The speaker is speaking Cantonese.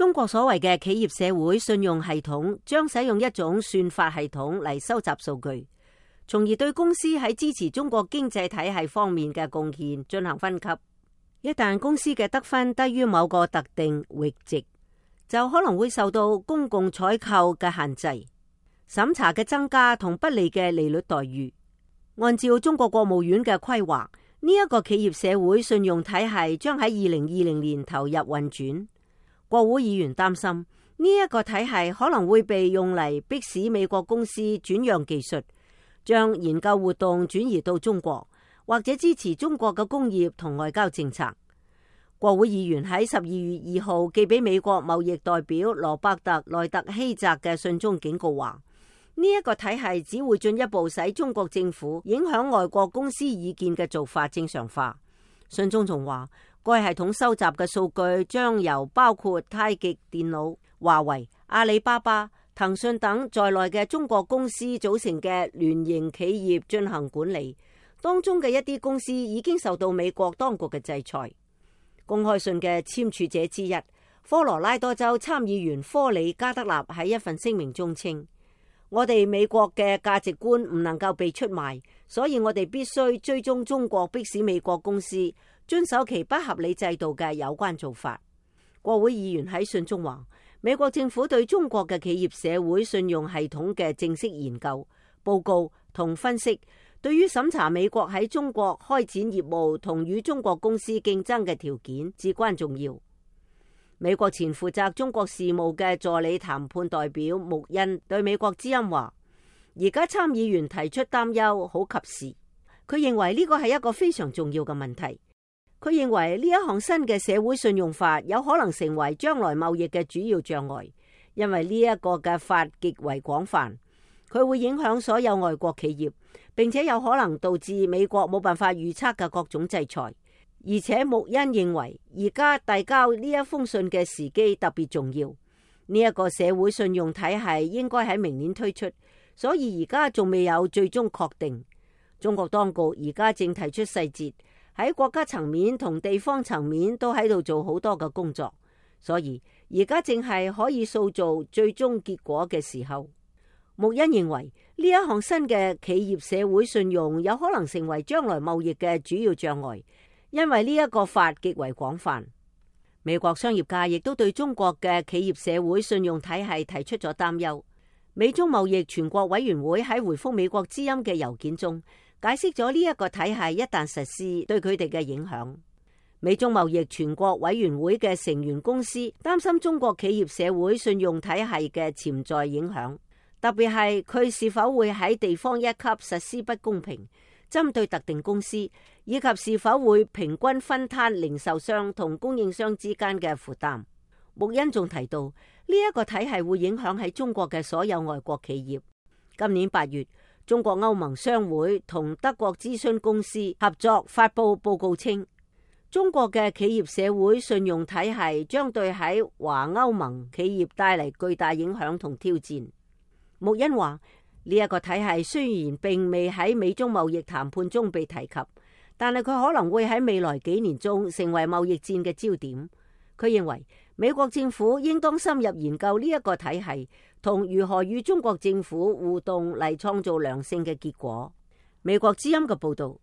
中國所謂嘅企業社會信用系統將使用一種算法系統嚟收集數據，從而對公司喺支持中國經濟體系方面嘅貢獻進行分級。一旦公司嘅得分低於某個特定閾值，就可能會受到公共採購嘅限制、審查嘅增加同不利嘅利率待遇。按照中國國務院嘅規劃，呢一個企業社會信用體系將喺2020年投入運轉。國會議員擔心呢一個體系可能會被用嚟迫使美國公司轉讓技術，將研究活動轉移到中國，或者支持中國嘅工業同外交政策。國會議員喺12月2號寄俾美國貿易代表羅伯特·萊特希澤嘅信中警告話，呢一個體系只會進一步使中國政府影響外國公司意見嘅做法正常化。信中仲話，該系統收集嘅數據將由包括太極電腦、華為、阿里巴巴、騰訊等在內嘅中國公司組成嘅聯營企業進行管理，當中嘅一啲公司已經受到美國當局嘅制裁。公開信嘅簽署者之一，科羅拉多州參議員科里加德納喺一份聲明中稱，我哋美國嘅價值觀唔能夠被出賣，所以我哋必須追蹤中國迫使美國公司遵守其不合理制度嘅有關做法。國會議員喺信中話，美國政府對中國嘅企業社會信用系統嘅正式研究、報告同分析，對於審查美國喺中國開展業務同與中國公司競爭嘅條件至關重要。美國前負責中國事務嘅助理談判代表穆恩對美國之音話，而家參議員提出擔憂好及時，佢認為呢個係一個非常重要嘅問題。佢認為呢一項新嘅社會信用法有可能成為將來貿易嘅主要障礙，因為呢一個嘅法極為廣泛，佢會影響所有外國企業，並且有可能導致美國冇辦法預測嘅各種制裁。而且穆恩認為而家遞交呢一封信嘅時機特別重要，呢一個社會信用體系應該喺明年推出，所以而家仲未有最終確定。中國當局而家正提出細節，喺國家層面同地方層面都喺度做好多嘅工作，所以而家正係可以塑造最終結果嘅時候。穆恩認為呢一項新嘅企業社會信用有可能成為將來貿易嘅主要障礙，因為呢一個法極為廣泛。美國商業界亦都對中國嘅企業社會信用體系提出咗擔憂。美中貿易全國委員會喺回覆美國之音嘅郵件中解釋咗呢一個體系一旦實施對佢哋嘅影響。美中貿易全國委員會嘅成員公司擔心中國企業社會信用體系嘅潛在影響，特別係佢是否會喺地方一級實施不公平，針對特定公司，以及是否會平均分攤零售商同供應商之間嘅負擔。穆恩仲提到，呢一個體系會影響喺中國嘅所有外國企業。今年8月，中國歐盟商會同德國諮詢公司合作發佈報告稱，中國嘅企業社會信用體系將對喺華歐盟企業帶嚟巨大影響同挑戰。穆恩話，呢一個體系雖然並未喺美中貿易談判中被提及，但係佢可能會喺未來幾年中成為貿易戰嘅焦點。佢認為美國政府應當深入研究呢一個體系同如何與中國政府互動嚟創造良性嘅結果。美國之音嘅報道。